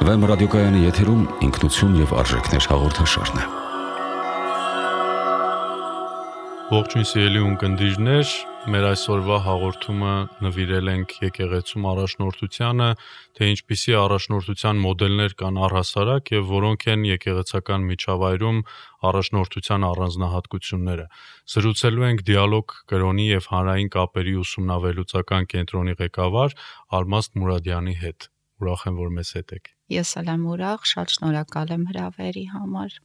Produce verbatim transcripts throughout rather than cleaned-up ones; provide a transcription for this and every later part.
Վեմ ռադիոկայանի եթերում ինքնություն և արժեքներ հաղորդաշարն է։ Ողջույն սիրելի ունկնդիրներ, մեր այսօրվա հաղորդումը նվիրել ենք եկեղեցում առաջնորդությանը, թե ինչպիսի առաջնորդության մոդելներ կան առհասարակ և որոնք են եկեղեցական միջավայրում առաջնորդության առանձնահատկությունները։ Զրուցելու ենք Դիալոգ կրոնի և հանրային կապերի ուսումնավերլուծական կենտրոնի ղեկավար Ալմազ Մուրադյանի հետ։ Ուրախ եմ, որ մեզ հետ եք։ Ես էլ եմ ուրախ, շատ շնորհակալ եմ հրավերի համար։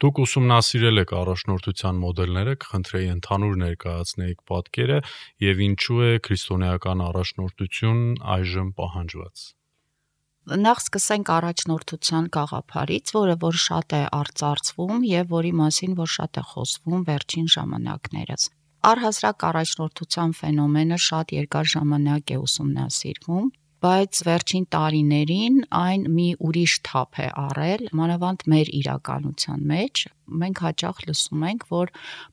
Դուք ուսումնասիրել եք առաջնորդության մոդելները, կխնդրեի ընդհանուր ներկայացնեիք պատկերը և ինչու է քրիստոնեական առաջնորդություն այժմ պահանջված։ Նախ սկսենք առաջնորդության գաղափարից, որը որ շատ է արծարծվում և որի մասին որ շատ է խոսվում վերջին ժամանակներս։ Առհասարակ առաջնորդության ֆենոմենը շատ երկար ժամանակ է ուսումնասիրվում, բայց վերջին տարիներին այն մի ուրիշ թափ է առել, մանավանդ մեր իրականության մեջ։ Մենք հաճախ լսում ենք, որ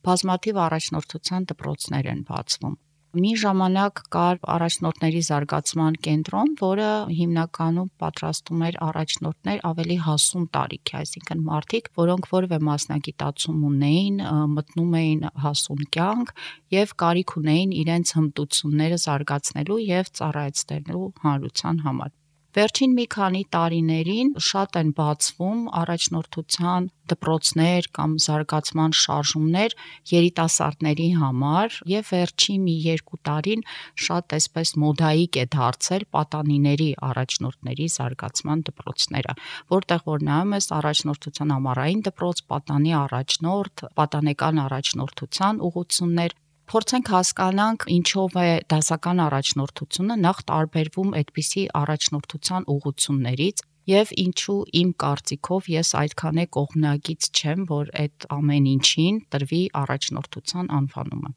բազմաթիվ առաջնորդության դպրոցներ են բացվում։ Մի ժամանակ կար առաջնորդների զարգացման կենտրոն, որը հիմնականում պատրաստում էր առաջնորդներ ավելի հասուն տարիքի, այսինքն մարդիկ, որոնք որևէ մասնագիտացում ունեին, մտնում էին հասուն կյանք և կարիք ունեին իրենց հմտությունները զարգացնելու և ծառայեցնելու հանրության համար։ Վերջին մի քանի տարիներին շատ են բացվում առաջնորդության դպրոցներ կամ զարգացման շարժումներ երիտասարդների համար և վերջին մի երկու տարին շատ այսպես մոդայիկ է դարձել պատանիների առաջնորդների զարգացման դպրոցները, որտեղ որ նայում ես առաջնորդության ամառային դպրոց, պատանի առաջնորդ, պատանեկան առաջնորդության ուղղություններ, փորձենք հասկանանք ինչով է դասական առաջնորդությունը նախ տարբերվում այդպիսի առաջնորդության ուղղություններից և ինչու իմ կարծիքով ես այդքան է կողմնակից չեմ, որ այդ ամեն ինչին տրվի առաջնորդության անվանումը։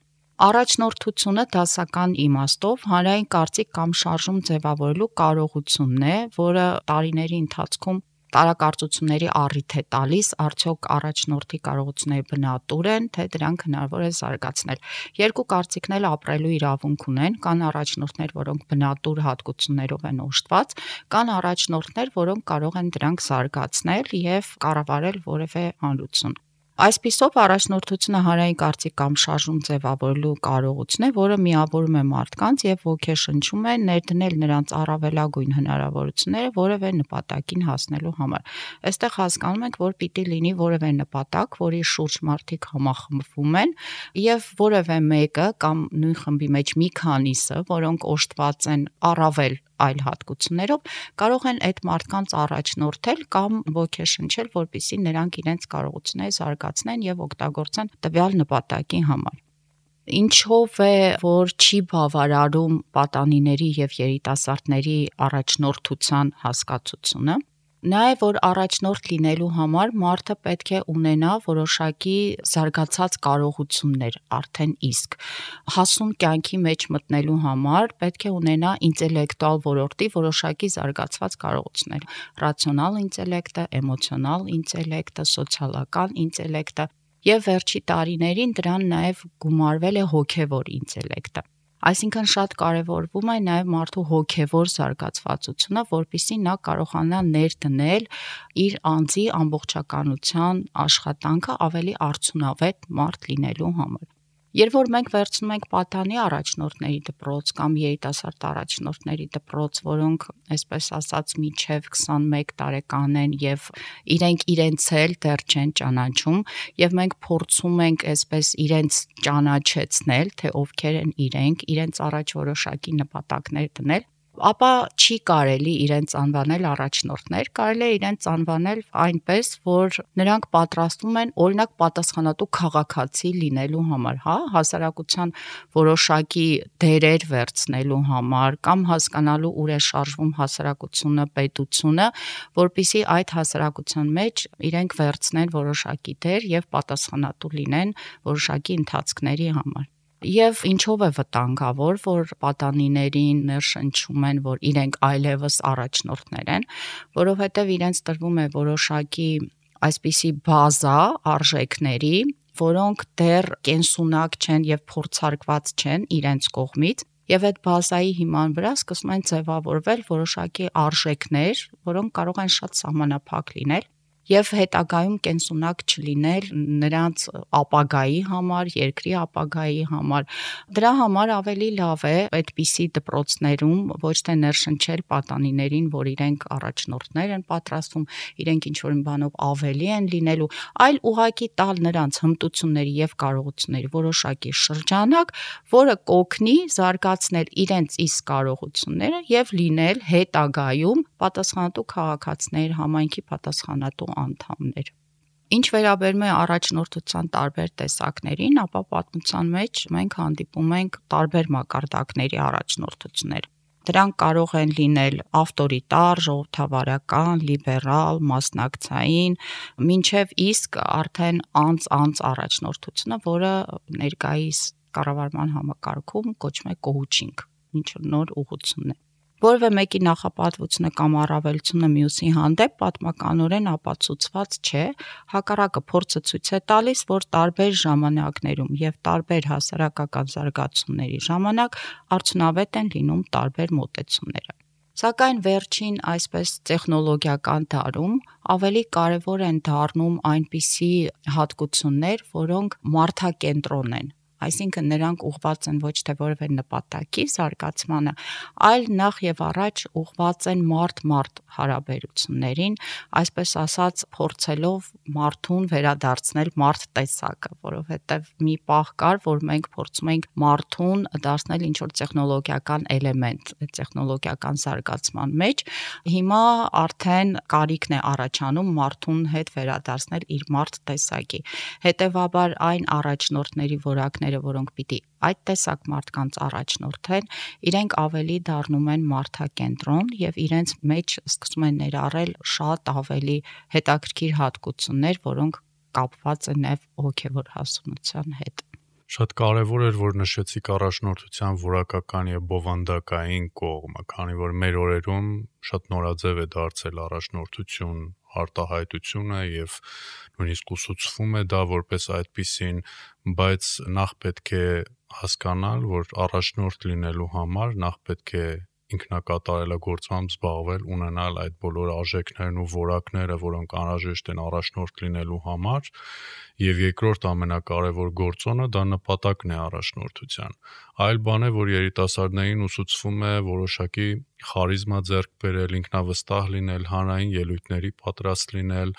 Առաջնորդությունը դասական իմաստով հանրային կարծիք կամ շարժում ձևավորելու կարողությունն է, որը տարիների ընթացքում տարակարծությունների առիթ է տալիս, արդյոք առաջնորդի կարողությունները բնատուր են, թե դրանք հնարավոր է զարգացնել։ Երկու կարծիքն էլ ապրելու իրավունք ունեն, կան առաջնորդներ, որոնք բնատուր հատկություններով են օժտված, կան առաջնորդներ, որոնք կարող են դրանք զարգացնել և կառավարել որևէ հանրություն։ Այսպիսով առաջնորդությունը հանրային կարծիք կամ շարժում ձևավորելու կարողություն է, որը միավորում է մարդկանց և ոգեշնչում է ներդնել նրանց առավելագույն հնարավորությունները որևէ նպատակին հասնելու համար։ Այստեղ հասկանում ենք, որ պիտի լինի որևէ նպատակ, որի շուրջ մարդիկ համախմբվում են և որևէ մեկը կամ նույն խմբի մեջ մի քանիսը, որոնք օժտված են առավել այլ հատկություններով, կարող են այդ մարդկանց առաջնորդել կամ ոգեշնչել, որպեսզի նրանք իրենց կարողությունները զարգացնեն և օգտագործեն տվյալ նպատակի համար։ Ինչով է, որ չի բավարարում պատանիների և երիտասարդների առաջնորդության հասկացությունը։ Նա է, որ առաջնորդ լինելու համար մարդը պետք է ունենա որոշակի զարգացած կարողություններ արդեն իսկ։ Հասուն կյանքի մեջ մտնելու համար պետք է ունենա ինտելեկտուալ ոլորտի որոշակի զարգացված կարողություններ՝ ռացիոնալ ինտելեկտը, էմոցիոնալ ինտելեկտը, սոցիալական ինտելեկտը և վերջի տարիներին դրան նաև գումարվել է հոգևոր ինտելեկտը։ Այսինքն շատ կարևորվում է նաև մարդու հոգևոր զարգացվածությունը, որպեսզի նա կարողանա ներդնել իր անձի ամբողջականության աշխատանքը ավելի արդյունավետ մարդ լինելու համար։ Երբ որ մենք վերցնում ենք պատանի առաջնորդների դպրոց կամ երիտասարդ առաջնորդների դպրոց, որոնք այսպես ասած մինչև քսանմեկ տարեկան են և իրենք իրենց էլ դեռ չեն ճանաչում, և մենք փորձում ենք այսպես իրենց ճանաչեցնել, թե ովքեր են իրենք, իրենց առաջ որոշակի նպատակներ դնել, ապա չի կարելի իրենց անվանել առաջնորդներ, կարելի է իրենց անվանել այնպես, որ նրանք պատրաստվում են օրինակ պատասխանատու քաղաքացի լինելու համար, հա, հասարակության որոշակի դերեր վերցնելու համար կամ հասկանալու ուր է շարժվում հասարակությունը, պետությունը, որպեսզի այդ հասարակության մեջ իրենք վերցնեն որոշակի դեր և պատասխանատու լինեն որոշակի ընթացքների համար։ Եվ ինչով է վտանգավոր, որ պատանիներին ներշնչում են, որ իրենք այլևս առաջնորդներ են, որովհետև իրենց տրվում է որոշակի այսպիսի բազա արժեքների, որոնք դեռ կենսունակ չեն և փորձարկված չեն իրենց կողմից, Եվ այդ բազայի հիման վրա սկսում են ձևավորվել որոշակի արժեքներ, որոնք կարող են շատ սահմանափակ լինել եւ հետագայում կենսունակ չլինել նրանց ապագայի համար, երկրի ապագայի համար։ Դրա համար ավելի լավ է այդպիսի դպրոցներում ոչ թե ներշնչել պատանիներին, որ իրենք առաջնորդներ են պատրաստում, իրենք ինչ-որ բանով ավելի են լինելու, այլ ուղղակի տալ նրանց հմտությունների եւ կարողությունների որոշակի շրջանակ, որը կօգնի զարգացնել իրենց իսկ կարողությունները եւ լինել հետագայում պատասխանատու քաղաքացիներ, համայնքի պատասխանատու անդամներ։ Ինչ վերաբերում է առաջնորդության տարբեր տեսակներին, ապա պատմության մեջ մենք հանդիպում ենք տարբեր մակարդակների առաջնորդություններ։ Դրանք կարող են լինել ավտորիտար, ժողովրդավարական, լիբերալ, մասնակցային, մինչև իսկ արդեն անց-անց առաջնորդությունը, որը ներկայիս կառավարման համակարգում կոչվում է coaching, ինչ-որ նոր ուղղություն է։ Որևէ մեկի նախապատվությունը կամ առավելությունը մյուսի հանդեպ պատմականորեն ապացուցված չէ, հակառակը փորձը ցույց է տալիս, որ տարբեր ժամանակներում եւ տարբեր հասարակական զարգացումների ժամանակ արդյունավետ են լինում տարբեր մոտեցումները։ Սակայն վերջին այսպես տեխնոլոգիական դարում ավելի կարևոր են դառնում այնպիսի հատկություններ, որոնք մարդակենտրոն են։ Այսինքն նրանք ուղղված են ոչ թե որևէ նպատակի զարգացմանը, այլ նախ եւ առաջ ուղղված են մարդ-մարդ հարաբերություններին, այսպես ասած, փորձելով մարդուն վերադարձնել մարդ տեսակը, որովհետեւ մի պահ կար, որ մենք փորձում ենք մարդուն դարձնել ինչ-որ տեխնոլոգիական էլեմենտ, տեխնոլոգիական զարգացման մեջ, հիմա արդեն կարիքն է առաջանում մարդուն հետ վերադարձնել իր մարդ տեսակի։ Հետևաբար այն առաջնորդների որակները, որոնք պիտի այդ տեսակ մարդկանց առաջնորդեն, իրենք ավելի դառնում են մարդակենտրոն եւ իրենց մեջ սկսում են ներառել շատ ավելի հետաքրքիր հատկություններ, որոնք կապված են նաեւ հոգեվոր հասունության հետ։ Շատ կարևոր էր, որ նշեցիք առաջնորդության որակական եւ բովանդակային կողմը, քանի որ մեր օրերում շատ նորաձև է դարձել առաջնորդություն արտահայտությունը եւ նույնիսկ ուսուցվում է դա որպես այդպիսին, բայց նախ պետք է հասկանալ, որ առաջնորդ լինելու համար նախ պետք է ինքնակատարելագործմամբ զբաղվել, ունենալ այդ բոլոր արժեքներն ու որակները, որոնք անհրաժեշտ են առաջնորդ լինելու համար, եւ երկրորդ ամենակարևոր գործոնը դա նպատակն է առաջնորդության։ Այլ բան է, որ երիտասարդներին ուսուցվում է որոշակի խարիզմա ձեռք բերել, ինքնավստահ լինել, հանրային ելույթների պատրաստ լինել,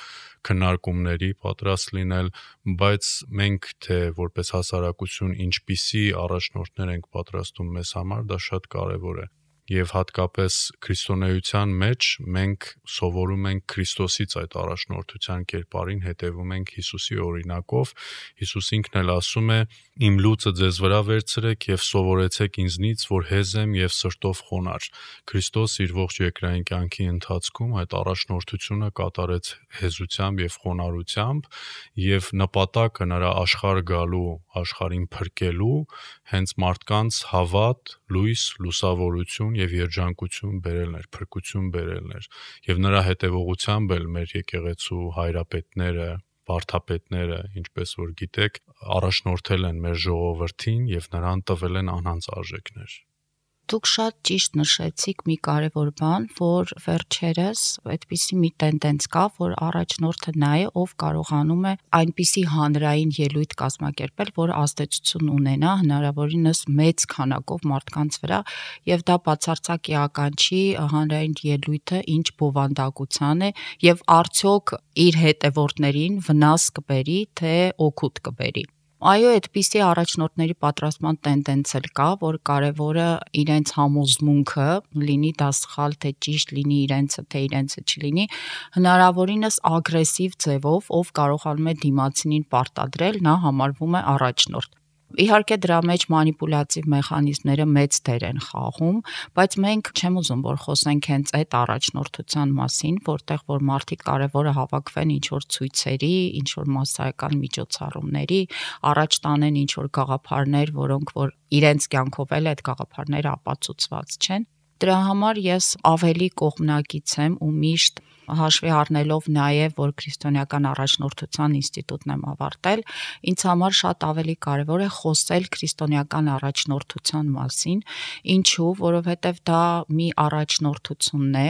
քննարկումների պատրաստ լինել, բայց մենք թե որպես հասարակություն ինչպիսի առաջնորդներ ենք պատրաստում մեզ համար, դա շատ կարևոր է։ Եվ հատկապես քրիստոնեության մեջ մենք սովորում ենք Քրիստոսից այդ առաջնորդության կերպարին, հետևում ենք Հիսուսի օրինակով։ Հիսուս ինքն էլ ասում է. «Իմ լուծը ձեզ վրա վերցրեք եւ սովորեցեք ինձնից, որ հեզ եմ եւ սրտով խոնարհ»։ Քրիստոս իր ողջ երկրային կյանքի ընթացքում այդ առաջնորդությունը կատարեց հեզությամբ եւ խոնարհությամբ, եւ նպատակը նրա աշխարհ գալու, աշխարհին փրկելու հենց մարդկանց հավատ, լույս, լուսավորություն եւ երջանկություն բերելն էր, փրկություն բերելն էր, եւ նրա հետեւողությամբ էլ մեր եկեղեցու հայրապետները, վարդապետները, ինչպես որ գիտեք, առաջնորդել են մեր ժողովրդին եւ նրան տվել են անհանց արժեքներ։ Դուք շատ ճիշտ նշեցիք մի կարևոր բան, որ վերջերս այդպիսի մի տենդենց կա, որ առաջնորդը նա է, ով կարողանում է այնպիսի հանրային ելույթ կազմակերպել, որ ազդեցություն ունենա հնարավորինս մեծ քանակով մարդկանց վրա, եւ դա բացարձակ էական չի հանրային ելույթը ինչ բովանդակության է եւ արդյոք իր հետևորդներին վնաս կբերի, թե օգուտ կբերի։ Այո, այդպիսի առաջնորդների պատրաստման տենդենց էլ կա, որ կարևորը իրենց համոզմունքը, լինի դա սխալ, թե ճիշտ, լինի իրենցը, թե իրենցը չլինի, հնարավորինս ագրեսիվ ձևով, ով կարողանում է դիմացինին պարտադրել, նա համարվում է առաջնորդ։ Իհարկե դրա մեջ մանիպուլյատիվ մեխանիզմները մեծ դեր են խաղում, բայց մենք չեմ ուզում, որ խոսենք հենց այդ առաջնորդության մասին, որտեղ որ մարդիկ կարևոր է հավաքվեն ինչ-որ ցույցերի, ինչ-որ մասսայական միջոցառումների, առաջ տանեն ինչ-որ գաղափարներ, որոնք որ իրենց կյանքով էլ այդ գաղափարները ապացուցված չեն։ Դրա համար ես ավելի կողմնակից եմ ու միշտ հաշվի առնելով նաև, որ քրիստոնեական առաջնորդության ինստիտուտն եմ ավարտել, ինձ համար շատ ավելի կարևոր է խոսել քրիստոնեական առաջնորդության մասին, ինչու, որովհետև դա մի առաջնորդությունն է,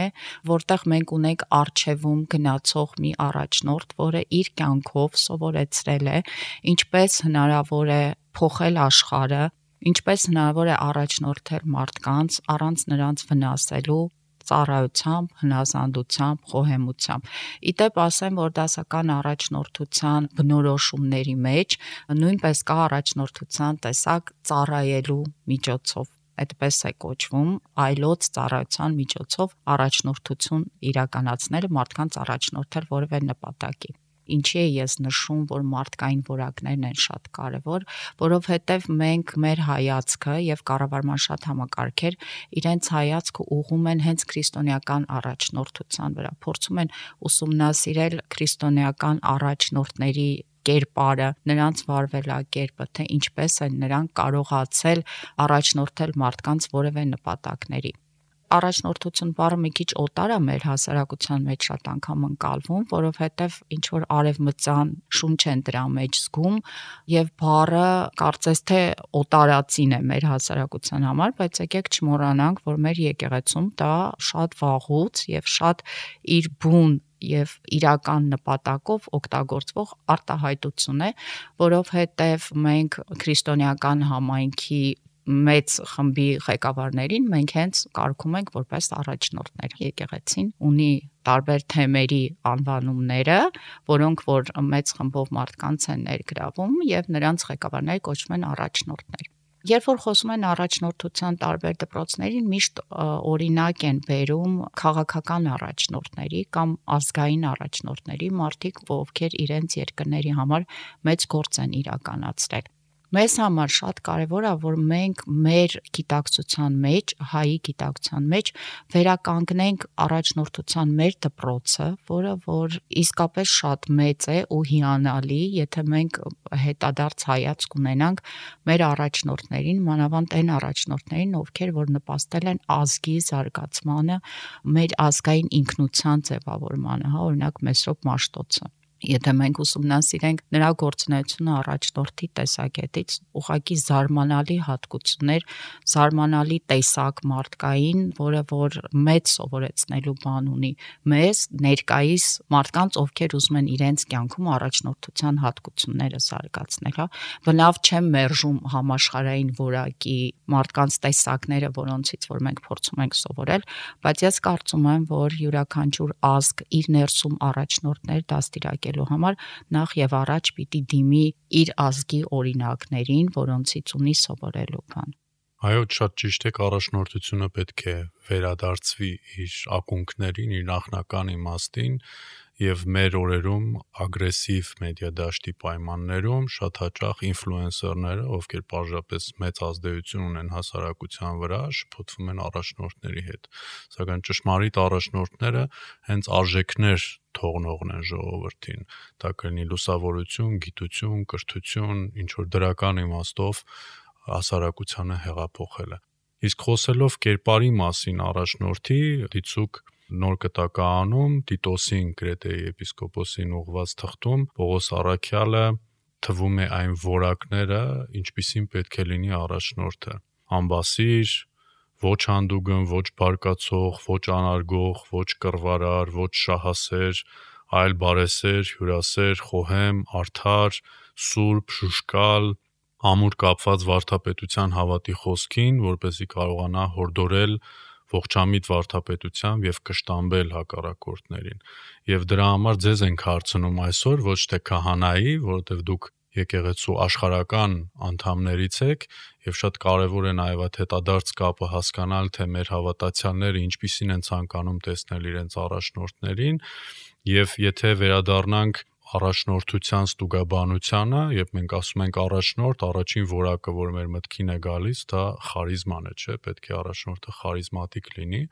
որտեղ մենք ունենք առջևում գնացող մի առաջնորդ, որը իր կյանքով սովորեցրել է, ինչպես հնարավոր է փոխել աշխարհը, ինչպես հնարավոր է առաջնորդել մարդկանց առանց նրանց վնասելու, ծառայությամբ, հնազանդությամբ, խոհեմությամբ։ Իդեպ ասեմ, որ դասական առաջնորդության բնորոշումների մեջ նույնպես կա առաջնորդության տեսակ ծառայելու միջոցով, այդպես է կոչվում, այլոց ծառայության միջոցով առաջնորդություն իրականացնելը, մարդկանց առաջնորդել որևէ նպատակի։ Ինչի է ես նշում, որ մարդկային որակներն են շատ կարևոր, որովհետև մենք մեր հայացքը եւ կառավարման շատ համակարգեր իրենց հայացքը ուղղում են հենց քրիստոնեական առաջնորդության վրա, փորձում են ուսումնասիրել քրիստոնեական առաջնորդների կերպարը, նրանց վարվելակերպը, թե ինչպես են նրանք կարողացել առաջնորդել մարդկանց որևէ նպատակների։ Առաջնորդություն բառը մի քիչ օտար է մեր հասարակության մեջ շատ անգամ ընկալվում, որովհետև ինչ որ արևմտյան շունչ են դրա մեջ զգում եւ բառը կարծես թե օտարածին է մեր հասարակության համար, բայց եկեք չմոռանանք, որ մեր եկեղեցում դա շատ վաղուց եւ շատ իր բուն եւ իրական նպատակով օգտագործվող արտահայտություն է, որովհետեւ մենք քրիստոնեական համայնքի մեծ խմբի ղեկավարներին մենք հենց կարգում ենք որպես առաջնորդներ։ Եկեղեցին ունի տարբեր թեմերի անվանումները, որոնք որ մեծ խմբով մարդկանց են ներգրավում եւ նրանց ղեկավարները կոչվում են առաջնորդներ։ Երբ որ խոսում են առաջնորդության տարբեր դպրոցներին, միշտ օրինակ են բերում քաղաքական առաջնորդների կամ ազգային առաջնորդների, մարդիկ, ովքեր իրենց երկրների համար մեծ գործ են իրականացրել։ Մեզ համար շատ կարևոր է, որ մենք մեր գիտակցության մեջ, հայի գիտակցության մեջ վերականգնենք առաջնորդության մեր դպրոցը, որը որ իսկապես շատ մեծ է ու հիանալի, եթե մենք հետադարձ հայացք ունենանք մեր առաջնորդներին, մանավանդ այն առաջնորդներին, ովքեր որ նպաստել են ազգի զարգացմանը, մեր ազգային ինքնության ձևավորմանը, հա, օրինակ Մեսրոպ Մաշտոցը։ Եթե մենք ուսումնասիրենք նրա գործունեությունը առաջնորդի տեսակետից, ուղղակի զարմանալի հատկություններ, զարմանալի տեսակ մարդկային, որը որ մեծ սովորեցնելու բան ունի մեզ, ներկայիս մարդկանց, ովքեր ուզում են իրենց կյանքում առաջնորդության հատկությունները զարգացնել, հա։ Բնավ չեմ մերժում համաշխարհային որակի մարդկանց տեսակները, որոնցից որ մենք փորձում ենք սովորել, բայց ես կարծում եմ, որ յուրաքանչյուր ազգ իր ներսում առաջնորդներ դաստիարակել համար նախ եւ առաջ պիտի դիմի իր ազգի օրինակներին, որոնցից ունի սովորելու բան։ Այո, շատ ճիշտ է, առաջնորդությունը պետք է վերադարձվի իր ակունքներին, իր նախնական իմաստին եւ մեր օրերում ագրեսիվ մեդիա դաշտի պայմաններում շատ հաճախ ինֆլուենսերները, ովքեր պարզապես մեծ ազդեցություն ունեն հասարակության վրա, շփոթվում են առաջնորդների հետ։ Սակայն ճշմարիտ առաջնորդները հենց արժեքներ թողնողն են ժողովրդին։ Դա կլինի լուսավորություն, գիտություն, կրթություն, ինչ որ դրական իմաստով հասարակությանը հեղափոխելը։ Իսկ խոսելով կերպարի մասին առաջնորդի, դիցուկ նոր կտակարանում Տիտոսին Կրետեի եպիսկոպոսին ուղված թղթում Պողոս Առաքյալը թվում է այն որակները, ինչպիսին պետք է լինի առաջնորդը։ Ամբասիր, ոչ հանդուգն, ոչ բարկացող, ոչ անարգող, ոչ կռվարար, ոչ շահասեր, այլ բարեսեր, հյուրասեր, խոհեմ, արդար, սուրբ, շուշկալ, ամուր կապված վարդապետության հավատի խոսքին, որպեսզի կարողանա հորդորել ողջամիտ վարդապետությամբ եւ կշտամբել հակառակորդներին։ Եվ դրա համար ձեզ ենք հարցնում այսօր ոչ թե քահանայի, որովհետեւ դուք եկեղեցու աշխարհական անդամներից եք եւ շատ կարեւոր է նաեւ այդ հետադարձ կապը հասկանալ, թե մեր հավատացյալները ինչպիսին են ցանկանում տեսնել իրենց առաջնորդներին եւ եթե վերադառնանք առաջնորդության ստուգաբանությանը, երբ մենք ասում ենք առաջնորդ, առաջին որակը, որ մեր մտքին է գալիս, դա խարիզման է, չէ՞, պետք է առաջնորդը խարիզմատիկ լինի։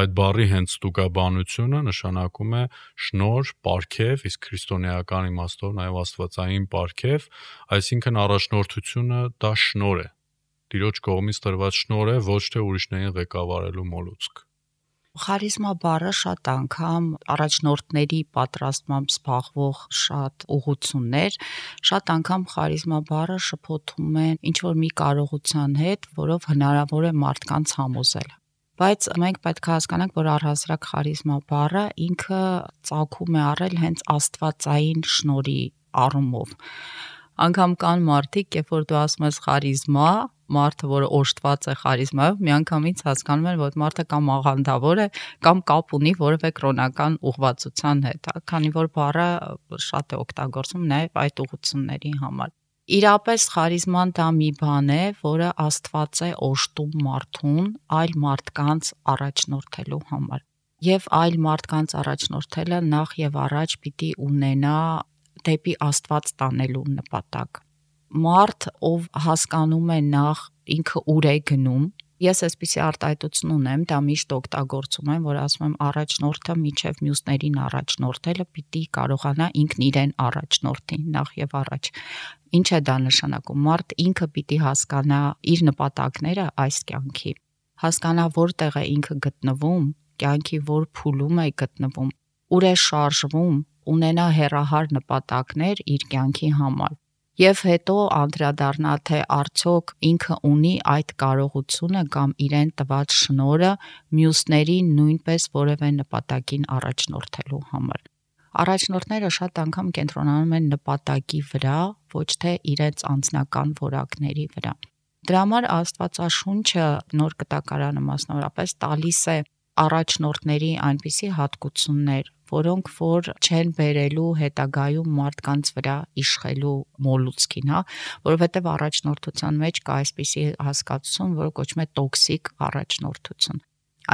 Այդ բառի հենց ստուգաբանությունը նշանակում է շնորհ, պարգև, իսկ քրիստոնեական իմաստով նաև աստվածային պարգև, այսինքն առաջնորդությունը դա շնորհ է։ Տիրոջ կողմից տրված շնորհ է, ոչ թե ուրիշներին ղեկավարելու մոլուցք։ Խարիզմա բառը շատ անգամ առաջնորդների պատրաստմամբ զբաղվող շատ ուղղություններ, շատ անգամ խարիզմա բառը շփոթում են ինչ-որ մի կարողության հետ, որով հնարավոր է մարդկանց համոզել։ Բայց մենք պետք է հասկանանք, որ առհասարակ խարիզմա բառը ինքը ծագում է առել հենց աստվածային շնորհի առումով։ Անգամ կան մարդիկ, երբ որ դու ասում ես խարիզմա, մարդը, որը օժտված է խարիզմայով, միանգամից հասկանում են, որ մարդը կամ աղանդավոր է, կամ կապ ունի որևէ կրոնական ուղղվածության հետ, քանի որ բառը շատ է օգտագործվում նաև այդ ուղղությունների համար։ Իրապես խարիզման դա մի բան է, որը Աստված է օժտում մարդուն այլ մարդկանց առաջնորդելու համար։ Եվ այլ մարդկանց առաջնորդելը նախ եւ առաջ պիտի ունենա դեպի Աստված տանելու նպատակ։ Մարդ, ով հասկանում է նախ ինքը ուր է գնում, ես այսպիսի արտահայտություն ունեմ, դա միշտ օգտագործում եմ, որ ասում եմ առաջնորդը միջև մյուսներին առաջնորդելը պիտի կարողանա ինքն իրեն առաջնորդի նախ եւ առաջ։ Ինչ է դա նշանակում։ Մարդ ինքը պիտի հասկանա իր նպատակները այս կյանքի, հասկանա որտեղ է ինքը գտնվում, կյանքի որ փուլում է գտնվում, ուր է շարժվում, ունենա հեռահար նպատակներ իր կյանքի համար։ Եվ հետո անդրադառնա, թե արդյոք ինքը ունի այդ կարողությունը կամ իրեն տված շնորհը մյուսներին նույնպես որևէ նպատակին առաջնորդելու համար։ Առաջնորդները շատ անգամ կենտրոնանում են նպատակի վրա, ոչ թե իրենց անձնական որակների վրա։ Դրա համար Աստվածաշունչը Նոր Կտակարանը մասնավորապես տալիս է առաջնորդների այնպիսի հատկություններ, որոնք որ չեն բերելու հետագայում մարդկանց վրա իշխելու մոլուցքին, հա, որովհետև առաջնորդության մեջ կա այսպիսի հասկացություն, որը կոչվում է տոքսիկ առաջնորդություն։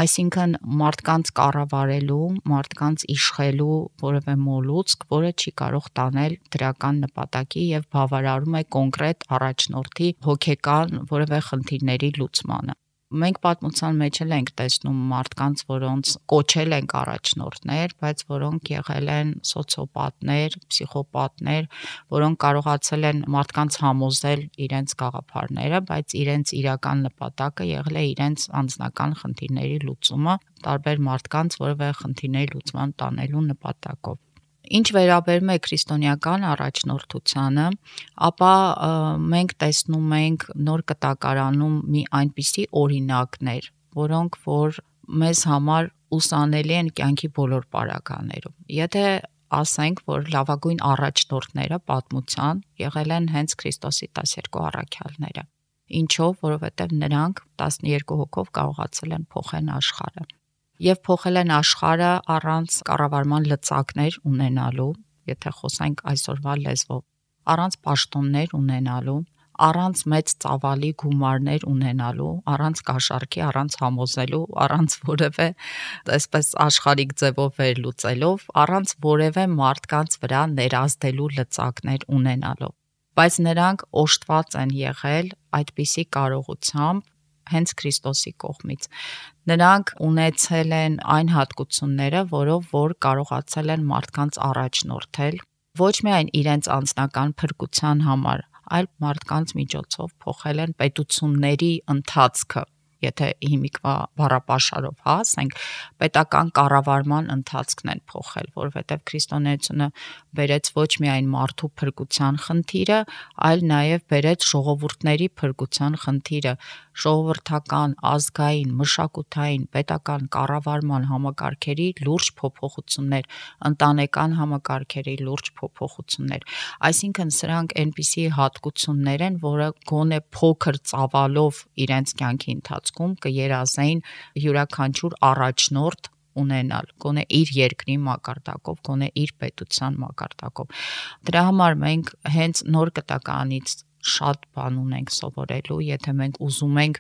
Այսինքն մարդկանց կառավարելու, մարդկանց իշխելու որևէ մոլուցք, որը չի կարող տանել դրական նպատակի եւ բավարարում է կոնկրետ առաջնորդի հոգեկան որևէ խնդիրների լուծմանը։ Մենք պատմության մեջ էլ ենք տեսնում մարդկանց, որոնց կոչել ենք առաջնորդներ, բայց որոնք եղել են սոցիոպատներ, պսիխոպատներ, որոնք կարողացել են մարդկանց համոզել իրենց գաղափարները, բայց իրենց իրական նպատակը եղել է իրենց անձնական խնդիրների լուծումը, տարբեր մարդկանց որևէ խնդիրների լուծման տանելու նպատակով։ Ինչ վերաբերում է քրիստոնեական առաջնորդությանը, ապա մենք տեսնում ենք Նոր Կտակարանում մի այնպիսի օրինակներ, որոնք որ մեզ համար ուսանելի են կյանքի բոլոր պարագաներում։ Եթե ասենք, որ լավագույն առաջնորդները պատմության եղել են հենց Քրիստոսի տասներկու առաքյալները։ Ինչով, որովհետև նրանք տասներկու հոգով կարողացել են փոխել աշխարհը։ Եվ փոխել են աշխարհը առանց կառավարման լծակներ ունենալու, եթե խոսենք այսօրվա լեզվով, առանց պաշտոններ ունենալու, առանց մեծ ծավալի գումարներ ունենալու, առանց կաշառքի, առանց համոզելու, առանց որևէ այսպես աշխարհիկ ձևով վերլուծելով, առանց որևէ մարդկանց վրա ներազդելու լծակներ ունենալու։ Բայց նրանք օժտված են եղել այդպիսի կարողությամբ հենց Քրիստոսի կողմից։ Նրանք ունեցել են այն հատկությունները, որով որ կարողացել են մարդկանց առաջնորդել, ոչ միայն իրենց անձնական փրկության համար, այլ մարդկանց միջոցով փոխել են պետությունների ընթացքը, եթե հիմիկվա բառապաշարով հա ասենք, պետական կառավարման ընթացքն են փոխել, որովհետև քրիստոնեությունը բերեց ոչ միայն մարդու փրկության խնդիրը, այլ նաև բերեց ժողովուրդների փրկության խնդիրը, ժողովրդական, ազգային, մշակութային, պետական կառավարման համակարգերի լուրջ փոփոխություններ, ընտանեկան համակարգերի լուրջ փոփոխություններ։ Այսինքն սրանք այնպիսի հատկություններ են, որը գոնե փոքր ծավալով իրենց կյանքի ընթացքում կերազեին յուրաքանչյուր առաջնորդ ունենալ, գոնե իր երկրի մակարդակով, գոնե իր պետության մակարդակով։ Դրա համար մենք հենց Նոր Կտականից շատ բան ունենք սովորելու, եթե մենք ուզում ենք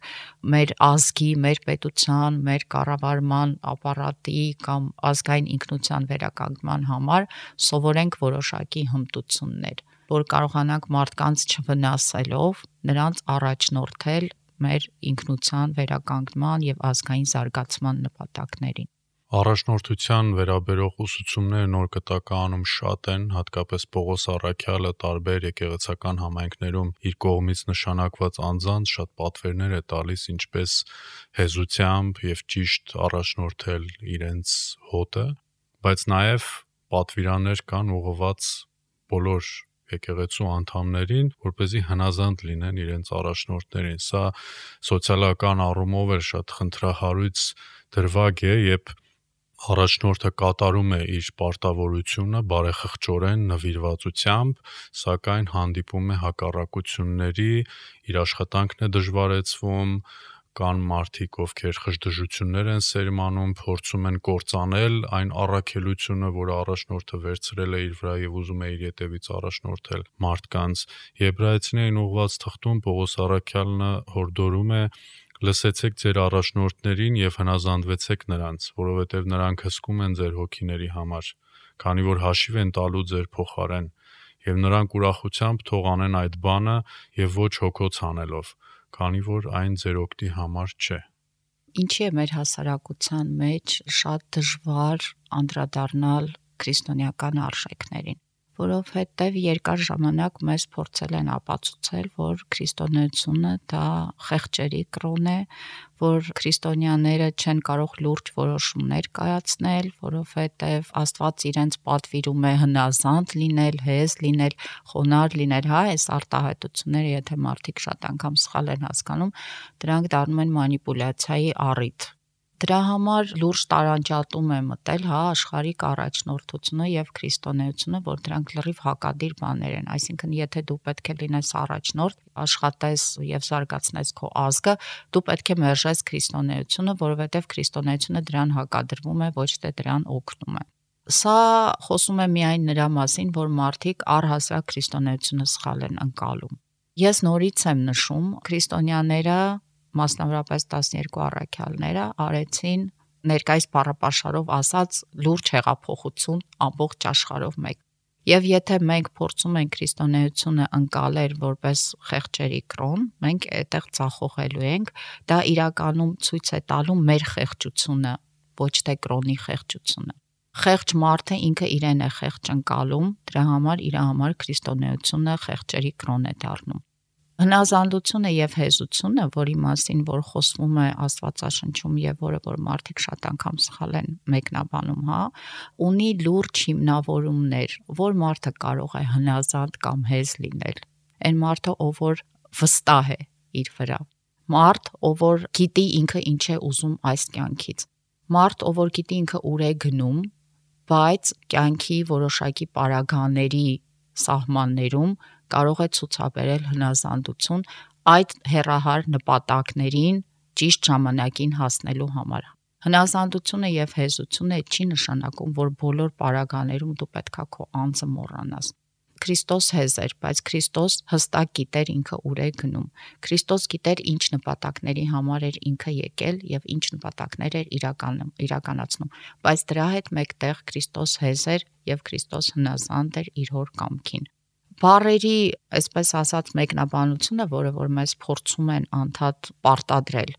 մեր ազգի, մեր պետության, մեր կառավարման ապարատի կամ ազգային ինքնության վերականգնման համար սովորենք որոշակի հմտություններ, որ կարողանանք մարդկանց չվնասելով նրանց առաջնորդել մեր ինքնության վերականգնման եւ ազգային զարգացման նպատակներին։ Առաջնորդության վերաբերող ուսուցումները նոր կտականում շատ են, հատկապես Պողոս Առաքյալը տարբեր եկեղեցական համայնքներում իր կողմից նշանակված անձանց շատ պատվերներ է տալիս, ինչպես հեզությամբ եւ ճիշտ առաջնորդել իրենց հոտը, բայց նաեւ պատվիրաններ կան ուղղված բոլոր եկեղեցու անդամներին, որպեսզի հնազանդ լինեն իրենց առաջնորդներին։ Սա սոցիալական առումով էլ շատ խնդրահարույց դրվագ է, երբ առաջնորդը կատարում է իր պարտավորությունը բարեխղճորեն նվիրվածությամբ, սակայն հանդիպում է հակառակությունների, իր աշխատանքն է դժվարեցվում, կան մարդիկ, ովքեր խժդժություններ են սերմանում, փորձում են կործանել այն առաքելությունը, որը առաջնորդը վերցրել է իր վրա եւ ուզում է իր ետևից առաջնորդել մարդկանց։ Եբրայեցիներին ուղղված թղթում Պողոս Առաքյալը հորդորում է. «Լսեցեք ձեր առաջնորդներին եւ հնազանդվեցեք նրանց, որովհետեւ նրանք հսկում են ձեր հոգիների համար, քանի որ հաշիվ են տալու ձեր փոխարեն, եւ նրանք ուրախությամբ թող անեն այդ բանը եւ ոչ հոգոց անելով, քանի որ այն ձեր օգտի համար չէ»։ Ինչի է մեր հասարակության մեջ շատ դժվար անդրադառնալ քրիստոնեական արժեքներին, որովհետև երկար ժամանակ մեզ փորձել են ապացուցել, որ քրիստոնեությունը դա խեղճերի կրոն է, որ քրիստոնյաները չեն կարող լուրջ որոշումներ կայացնել, որովհետև Աստված իրենց պատվիրում է հնազանդ լինել, հեզ լինել, խոնարհ լինել, հա, այս արտահայտությունները, եթե մարդիկ շատ անգամ սխալ են հասկանում, դրանք դառնում են մանիպուլյացիայի առիթ։ Դրա համար լուրջ տարանջատում է մտել, հա, աշխարհիկ առաջնորդությունը եւ քրիստոնեությունը, որ դրանք լրիվ հակադիր բաներ են, այսինքն եթե դու պետք է լինես առաջնորդ, աշխատես եւ զարգացնես քո ազգը, դու պետք է մերժես քրիստոնեությունը, որովհետեւ քրիստոնեությունը դրան հակադրվում է, ոչ թե դրան օգնում է։ Սա խոսում է միայն նրա մասին, որ մարդիկ առհասարակ քրիստոնեությունը սխալ են ընկալում։ Ես նորից եմ նշում, քրիստոնյաները մասնավորապես տասներկու առաքյալները արեցին ներկայիս բառապաշարով ասած լուրջ հեղափոխություն ամբողջ աշխարհով մեկ։ Եվ եթե մենք փորձում ենք քրիստոնեությունը ընկալել որպես խեղճերի կրոն, մենք այդտեղ ծախողելու ենք, դա իրականում ցույց է տալու մեր խեղճությունը, ոչ թե կրոնի խեղճությունը։ Խեղճ մարդը ինքը իրեն է խեղճ ընկալում, դրա համար իր համար քրիստոնեությունը խեղճերի կրոն է դառնում։ Հնազանդությունը եւ հեզությունը, որի մասին որ խոսվում է Աստվածաշնչում եւ որը որ մարդիկ շատ անգամ սխալ են մեկնաբանում, հա, ունի լուրջ հիմնավորումներ, որ մարդը կարող է հնազանդ կամ հեզ լինել։ Այն մարդը, ով որ վստահ է իր վրա։ Մարդ, ով որ գիտի ինքը ինչ է ուզում այս կյանքից։ Մարդ, ով որ գիտի ինքը ուր է գնում, բայց կյանքի որոշակի պարագաների սահմաններում կարող է ցուցաբերել հնազանդություն այդ հեռահար նպատակներին ճիշտ ժամանակին հասնելու համար։ Հնազանդությունը եւ հեզությունը չի նշանակում, որ բոլոր պարագաներում դու պետքա քո անձը մոռանաս։ Քրիստոս հեզ էր, բայց Քրիստոս հստակ գիտեր ինքը ուր է գնում։ Քրիստոս գիտեր ինչ նպատակների համար էր ինքը եկել եւ ինչ նպատակներ էր իրականում իրականացնում, բայց դրա հետ մեկտեղ Քրիստոս հեզ էր եւ Քրիստոս հնազանդ էր իր հոր կամքին։ Բառերի, այսպես ասած, մեկնաբանությունը, որը որ մեզ փորձում են անդադ պարտադրել,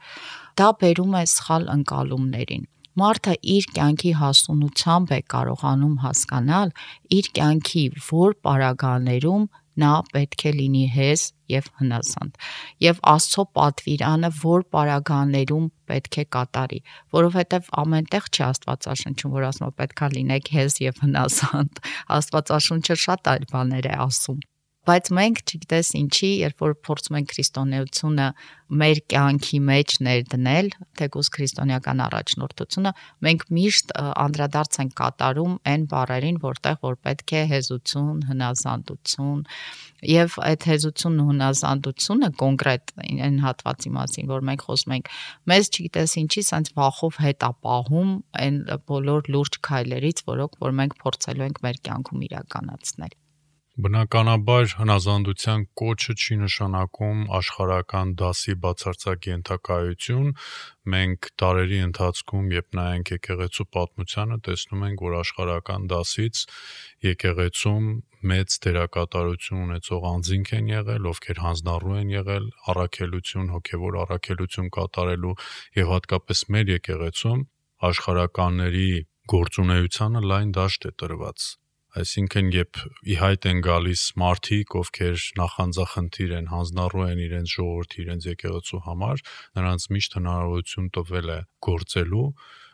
դա բերում է սխալ ընկալումներին։ Մարդը իր կյանքի հասունությամբ է կարողանում հասկանալ իր կյանքի որ պարագաներում նա պետք է լինի հեզ եւ հնազանդ եւ Աստծո պատվիրանը որ պարագաներում պետք է կատարի, որովհետեւ ամենտեղ չի Աստվածաշնչում, որ ասում է պետքա լինեք հեզ եւ հնազանդ։ Աստվածաշունչը շատ այլ բաներ է ասում։ Բայց մենք չգիտես ինչի, երբ որ փորձում ենք քրիստոնեությունը մեր կյանքի մեջ ներդնել, թեկուզ քրիստոնեական առաջնորդությունը, մենք միշտ անդրադարձ ենք կատարում այն բառերին, որտեղ որ պետք է հեզություն, հնազանդություն, եւ այդ հեզությունն ու հնազանդությունը կոնկրետ այն հատվածի մասին, որ մենք խոսում ենք, մեզ չգիտես ինչի, սենց վախով հետ ապահում այն բոլոր լուրջ քայլերից, որոնք որ մենք փորձելու ենք մեր կյանքում իրականացնել։ Բնականաբար հնազանդության կոչը չի նշանակում աշխարհական դասի բացարձակ ենթակայություն, մենք դարերի ընթացքում, երբ նայենք եկեղեցու պատմությանը, տեսնում ենք, որ աշխարհական դասից եկեղեցում մեծ դերակատարություն ունեցող անձինք են եղել, ովքեր հանձնառու են եղել առաքելություն, հոգևոր առաքելություն կատարելու եւ հատկապես մեր եկեղեցում աշխարհականների գործունեությանը լայն դաշտ է տրված։ Այսինքն, երբ ի հայտ են գալիս մարդիկ, ովքեր նախանձախնդիր են, հանձնառու են իրենց ժողովրդի, իրենց եկեղեցու համար, նրանց միշտ հնարավորություն տվել է գործելու։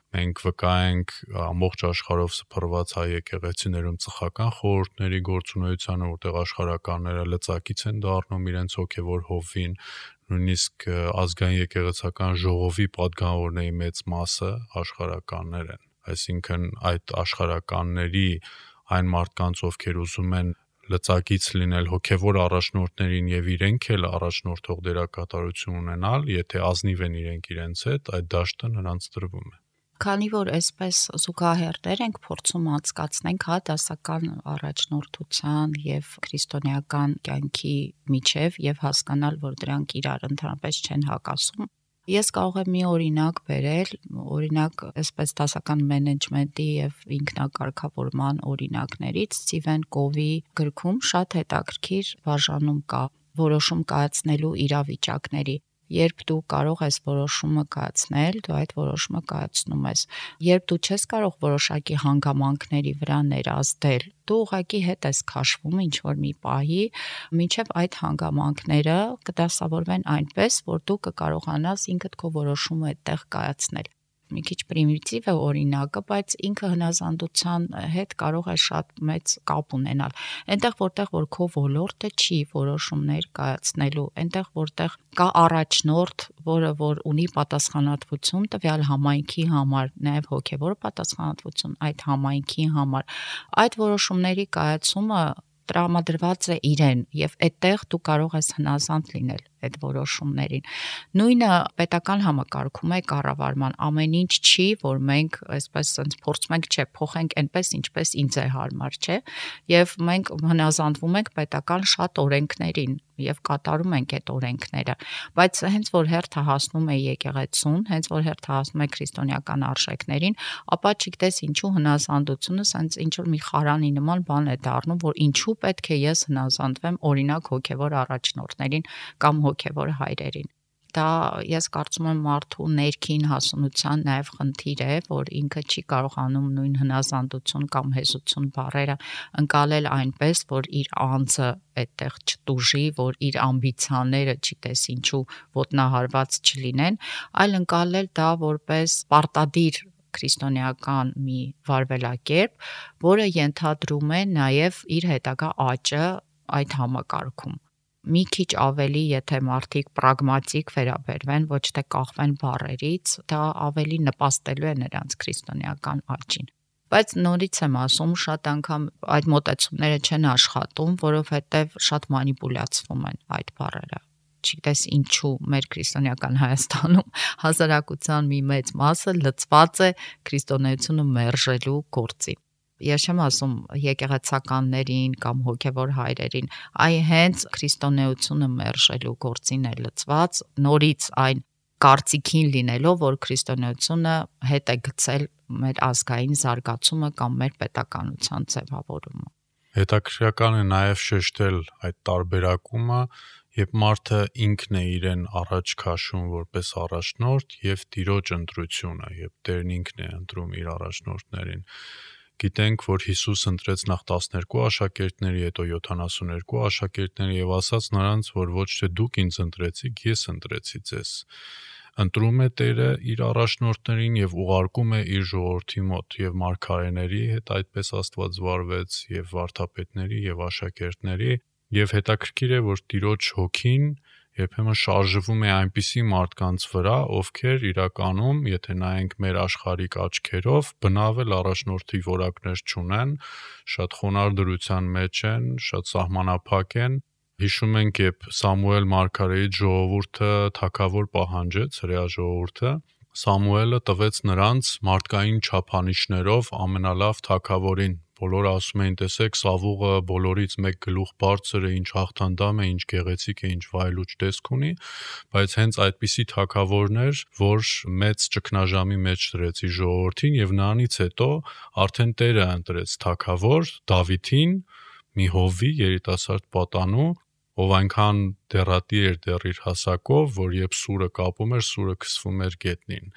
Մենք վկա ենք ամբողջ աշխարհով սփռված հայ եկեղեցիներում ծխական խորհուրդների գործունեությանը, որտեղ աշխարհականները լծակից են դառնում իրենց հոգևոր հովվին, նույնիսկ ազգային եկեղեցական ժողովի պատգամավորների մեծ մասը աշխարհականներ են։ Այսինքն, այդ աշխարհականների այն մարդկանց, ովքեր ուզում են լծակից լինել հոգևոր առաջնորդներին եւ իրենք էլ առաջնորդող դերակատարություն ունենալ, եթե ազնիվ են իրենք իրենց հետ, այդ դաշտը նրանց տրվում է։ Քանի որ այսպես զուգահեռներ ենք փորձում անցկացնենք հա դասական առաջնորդության եւ քրիստոնեական կյանքի միջև եւ հասկանալ, որ դրանք իրար ընդհանրապես չեն հակասում, ես կարող եմ մի օրինակ բերել, օրինակ այսպես դասական մենեջմենտի եւ ինքնակարգավորման օրինակներից Սթիվեն Կովի գրքում շատ հետաքրքիր բաժանում կա որոշում կայացնելու իրավիճակների։ Երբ դու կարող ես որոշումը կայացնել, դու այդ որոշումը կայացնում ես։ Երբ դու չես կարող որոշակի հանգամանքների վրա ներազդել, դու ուղղակի հետ ես քաշվում ինչ որ մի պահի, մինչև այդ հանգամանքները կդասավորվեն այնպես, որ դու կկարողանաս ինքդ քո որոշումը այդտեղ կայացնել։ Մի քիչ պրիմիտիվ է օրինակը, բայց ինքը հնազանդության հետ կարող է շատ մեծ կապ ունենալ։ Այնտեղ որտեղ որ քո ոլորտը չի որոշումներ կայացնելու, այնտեղ որտեղ կա առաջնորդ, որը որ ունի պատասխանատվություն տվյալ համայնքի համար, նաև հոգևոր պատասխանատվություն այդ համայնքի համար, այդ որոշումների կայացումը տրամադրված է իրեն եւ այդտեղ դու կարող ես հնազանդ լինել այդ որոշումներին։ Նույնը պետական համակարգում է կառավարման, ամեն ինչ չի, որ մենք այսպես sense փորձում ենք չէ, փոխենք այնպես, ինչպես ինձ է հարմար, չէ, եւ մենք հնազանդվում ենք պետական շատ օրենքներին եւ կատարում ենք այդ օրենքները, բայց հենց որ հերթը հասնում է եկեղեցուն, հենց որ հերթը հասնում է քրիստոնեական արժեքներին, ապա չգիտես ինչու հնազանդությունը sense ինչ որ մի խարանի նման բան է դառնում, որ ինչու պետք է ես հնազանդվեմ օրինակ հոգևոր առաջնորդներին կամ հոգևոր հայրերին։ Դա ես կարծում եմ մարդու ներքին հասունության նաև խնդիր է, որ ինքը չի կարողանում նույն հնազանդություն կամ հեզություն բառերը ընկալել այնպես, որ իր անձը այդտեղ չտուժի, որ իր ամբիցիաները, չգիտես ինչու, ոտնահարված չլինեն, այլ ընկալել դա որպես պարտադիր քրիստոնեական մի վարվելակերպ, որը ենթադրում է նաև իր հետագա աճը այդ համակարգում։ Մի քիչ ավելի, եթե մարդիկ պրագմատիկ վերաբերվեն, ոչ թե կախվեն բառերից, դա ավելի նպաստելու է նրանց քրիստոնեական աճին։ Բայց նորից եմ ասում, շատ անգամ այդ մոտեցումները չեն աշխատում, որովհետև շատ մանիպուլյացվում են այդ բառերը։ Չգիտես ինչու մեր քրիստոնեական Հայաստանում հասարակության մի մեծ մասը լծված է քրիստոնեությունը մերժելու գործին։ Ես չեմ ասում եկեղեցականներին կամ հոգևոր հայրերին, այ հենց քրիստոնեությունը մերժելու գործին է լծված, նորից այն կարծիքին լինելով, որ քրիստոնեությունը հետ է գցել մեր ազգային զարգացումը կամ մեր պետականության ձևավորումը։ Հետաքրքրական է նաև շեշտել այդ տարբերակումը, երբ մարդը ինքն է իրեն առաջ քաշում որպես առաջնորդ եւ Տիրոջ ընտրությունը, երբ Տերն ինքն է ընտրում իր առաջնորդներին։ Գիտենք, որ Հիսուս ընտրեց նախ տասներկու աշակերտների, հետո յոթանասուներկու աշակերտների եւ ասաց նրանց, որ ոչ թե դուք ինձ ընտրեցիք, ես ընտրեցի ձեզ։ Ընտրում է Տերը իր առաջնորդներին եւ ուղարկում է իր ժողովրդի մոտ եւ մարգարեների հետ այդպես Աստված վարվեց եւ վարդապետների եւ աշակերտների եւ հետաքրքիր է, որ Տիրոջ հոգին երբեմն շարժվում է այնպիսի մարդկանց վրա, ովքեր իրականում, եթե նայենք մեր աշխարհիկ աչքերով, բնավել առաջնորդի որակներ չունեն, շատ խոնարհ դրության մեջ են, շատ սահմանափակ են։ Հիշում ենք, երբ Սամուել մարգարեի ժողովուրդը թագավոր պահանջեց, հրեա ժողովուրդը, Սամուելը տվեց նրանց մարդկային չափանիշներով ամենալավ թագավորին։ Բոլորը ասում էին, տեսեք, Սավուղը բոլորից մեկ գլուխ բարձր է, ինչ հաղթանդամ է, ինչ գեղեցիկ է, ինչ վայելուչ տեսք ունի, բայց հենց այդպիսի թագավորն էր, որ մեծ ճգնաժամի մեջ դրեց իր ժողովրդին եւ նրանից հետո արդեն Տերը ընտրեց թագավոր Դավիթին, մի հովվի երիտասարդ պատանու, ով այնքան դեռատիր էր դեռ իր հասակով, որ երբ սուրը կապում էր, սուրը քսվում էր գետնին։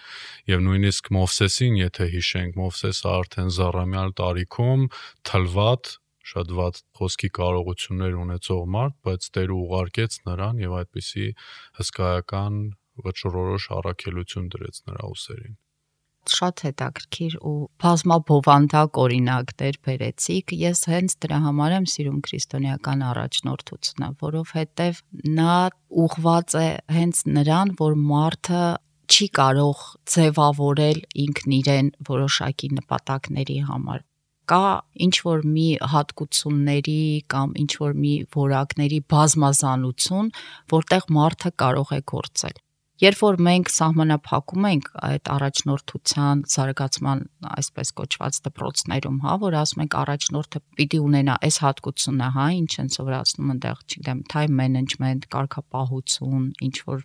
Եվ նույնիսկ Մովսեսին, եթե հիշենք, Մովսեսը արդեն զառամյալ տարիքում թլված, շատ վատ խոսքի կարողություններ ունեցող մարդ, բայց Տերը ուղարկեց նրան եւ այդպիսի հսկայական վճռորոշ առաքելություն դրեց նրա ուսերին։ Շատ հետաքրքիր ու բազմաբովանդակ օրինակներ բերեցիք։ Ես հենց դրա համար եմ սիրում քրիստոնեական առաջնորդությունը, որովհետև նա ուղղված է հենց նրան, որ մարդը չի կարող ձևավորել ինքն իրեն որոշակի նպատակների համար։ Կա ինչ-որ մի հատկությունների կամ ինչ-որ մի որակների բազմազանություն, որտեղ մարդը կարող է գործել։ Երբ որ մենք սահմանափակում ենք այդ առաջնորդության զարգացման այսպես կոչված դպրոցներում, հա, որ ասում ենք առաջնորդը պիտի ունենա այս հատկությունը, հա, ինչ են սովորացնում այնտեղ, չգիտեմ, time management, կարգապահություն, ինչ որ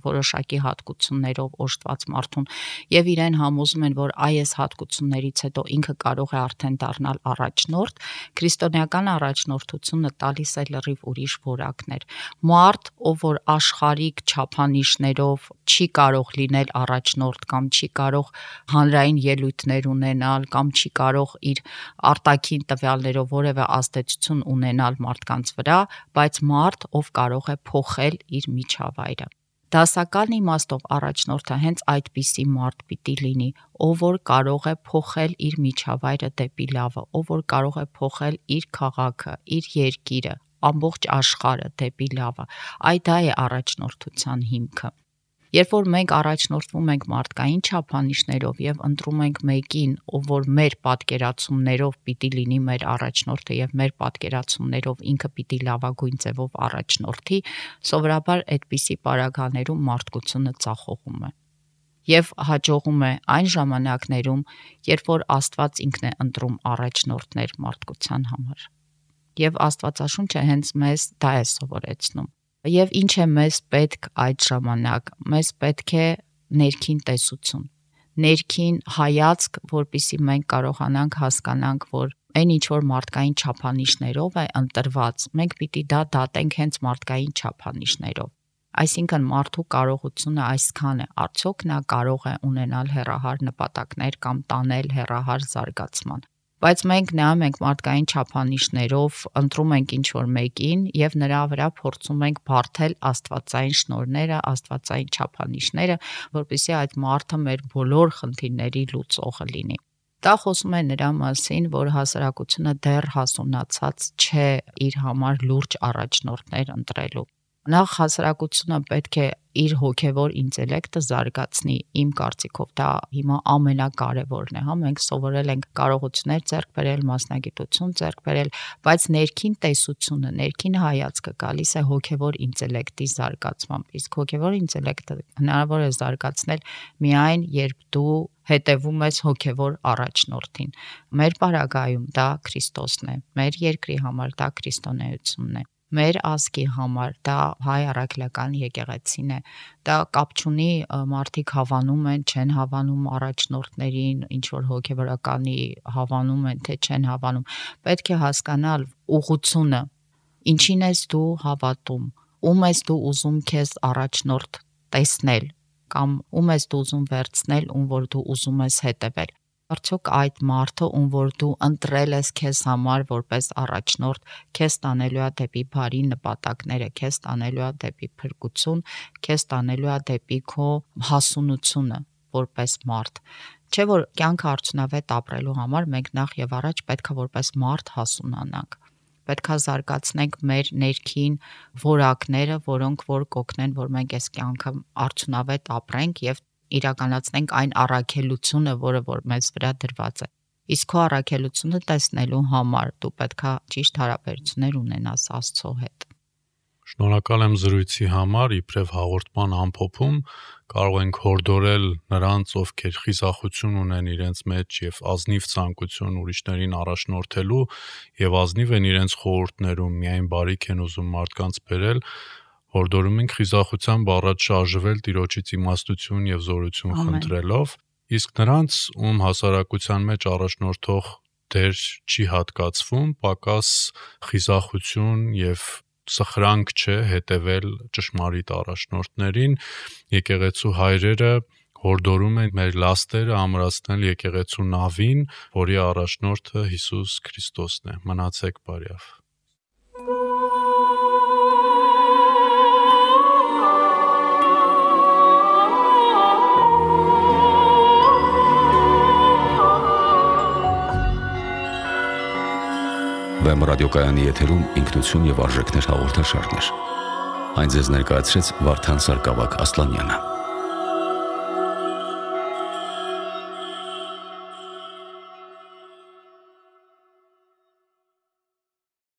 որոշակի հատկություններով օժտված մարդուն, եւ իրեն համոզում են, որ այս հատկություններից հետո ինքը կարող է արդեն դառնալ առաջնորդ, քրիստոնեական առաջնորդությունը տալիս է լրիվ ուրիշ որակներ։ Մարդ, ով որ աշխարհիկ չափանիշներով չի կարող լինել առաջնորդ կամ չի կարող հանրային ելույթներ ունենալ կամ չի կարող իր արտաքին տվյալներով որևէ ազդեցություն ունենալ մարդկանց վրա, բայց մարդ, ով կարող է փոխել իր միջավայրը։ Դասական իմաստով առաջնորդը հենց այդպիսի մարդ պիտի լինի, ով որ կարող է փոխել իր միջավայրը դեպի լավը, ով որ կարող է փոխել իր քաղաքը, իր երկիրը, ամբողջ աշխարհը դեպի լավը։ Այդ դա է առաջնորդության հիմքը։ Երբ որ մենք առաջնորդվում ենք մարդկային չափանիշներով եւ ընտրում ենք մեկին, ով որ մեր պատկերացումներով պիտի լինի մեր առաջնորդը եւ մեր պատկերացումներով ինքը պիտի լավագույն ձևով առաջնորդի, սովորաբար այդպիսի պարագաներում մարդկությունը ծախողում է։ Եվ հաջողում է այն ժամանակներում, երբ որ Աստված ինքն է ընտրում առաջնորդներ մարդկության համար։ Եվ Աստվածաշունչը հենց մեզ դա է սովորեցնում։ Եվ ինչ է մեզ պետք այդ ժամանակ, մեզ պետք է ներքին տեսություն, ներքին հայացք, որպեսզի մենք կարողանանք հասկանանք, որ այն ինչ որ մարդկային չափանիշներով է ընտրված, մենք պիտի դա դատենք հենց մարդկային չափանիշներով։ Այսինքն մարդու կարողությունը այսքան է, արդյոք նա կարող է ունենալ հեռահար նպատակներ կամ տանել հեռահար զարգացման։ Բայց մենք նայում ենք մարդկային չափանիշներով, ընտրում ենք ինչ-որ մեկին եւ նրա վրա փորձում ենք բարթել աստվածային շնորհները, աստվածային չափանիշները, որպեսզի այդ մարդը մեր բոլոր խնդիրների լուծողը լինի։ Դա խոսում է նրա մասին, որ հասարակությունը դեռ հասունացած չէ իր համար լուրջ առաջնորդներ ընտրելու։ Նախ հասարակությունը պետք է իր հոգևոր ինտելեկտը զարգացնի, իմ կարծիքով դա հիմա ամենակարևորն է, հա, մենք սովորել ենք կարողություններ ձեռք բերել, մասնագիտություն ձեռք բերել, բայց ներքին տեսությունը, ներքին հայացքը գալիս է հոգևոր ինտելեկտի զարգացմամբ, իսկ հոգևոր ինտելեկտը հնարավոր է զարգացնել միայն երբ դու հետևում ես հոգևոր առաջնորդին։ Մեր պարագայում դա Քրիստոսն է, մեր երկրի համար դա քրիստոնեությունն է։ Մեր ազգի համար դա հայ առաքելական եկեղեցին է, դա կապ չունի մարդիկ հավանում են, չեն հավանում առաջնորդներին, ինչ որ հոգևորականի հավանում են, թե չեն հավանում, պետք է հասկանալ ուղղությունը, ինչին ես դու հավատում, ում ես դու ուզում քեզ առաջնորդ տեսնել, կամ ում ես դու ուզում վերցնել, ում որ դու ուզում ես հետևել։ Արդյոք այդ մարդը, ում որ դու ընտրել ես քեզ համար որպես առաջնորդ, քեզ տանելու է դեպի բարի նպատակները, քեզ տանելու է դեպի փրկություն, քեզ տանելու է դեպի քո հասունությունը որպես մարդ։ Չէ՞ որ կյանքը արդյունավետ ապրելու համար մենք նախ եւ առաջ պետք է որպես մարդ հասունանանք։ Պետք է զարգացնենք մեր ներքին որակները, որոնք որ կօգնեն, որ մենք այս կյանքը արդյունավետ ապրենք եւ իրականացնենք այն առաքելությունը, որը որ մեզ վրա դրված է։ Իսկ քո առաքելությունը տեսնելու համար դու պետք է ճիշտ հարաբերություններ ունենաս Աստծո հետ։ Շնորհակալ եմ զրույցի համար, իբրև հաղորդման ամփոփում կարող ենք հորդորել նրանց, ովքեր խիզախություն ունեն իրենց մեջ եւ ազնիվ ցանկություն ուրիշներին առաջնորդելու եւ ազնիվ են իրենց խորհուրդներում, միայն բարիք են ուզում մարդկանց բերել, հորդորում ենք խիզախությամբ առաջ շարժվել Տիրոջից իմաստություն եւ զորություն խնդրելով, իսկ նրանց, ում հասարակության մեջ առաջնորդող դեր չի հատկացվում, պակաս խիզախություն եւ սխրանք չէ հետևել ճշմարիտ առաջնորդներին, եկեղեցու հայրերը հորդորում են մեր լաստերը ամրացնել եկեղեցու նավին, որի առաջնորդը Հիսուս Քրիստոսն է։ Մնացեք բարյավ։ Վեմ ռադիոկայանի եթերում ինքնություն եւ արժեքներ հաղորդաշարներ։ Այն ձեզ ներկայացրեց Վարդան Սարգսակ Ասլանյանը։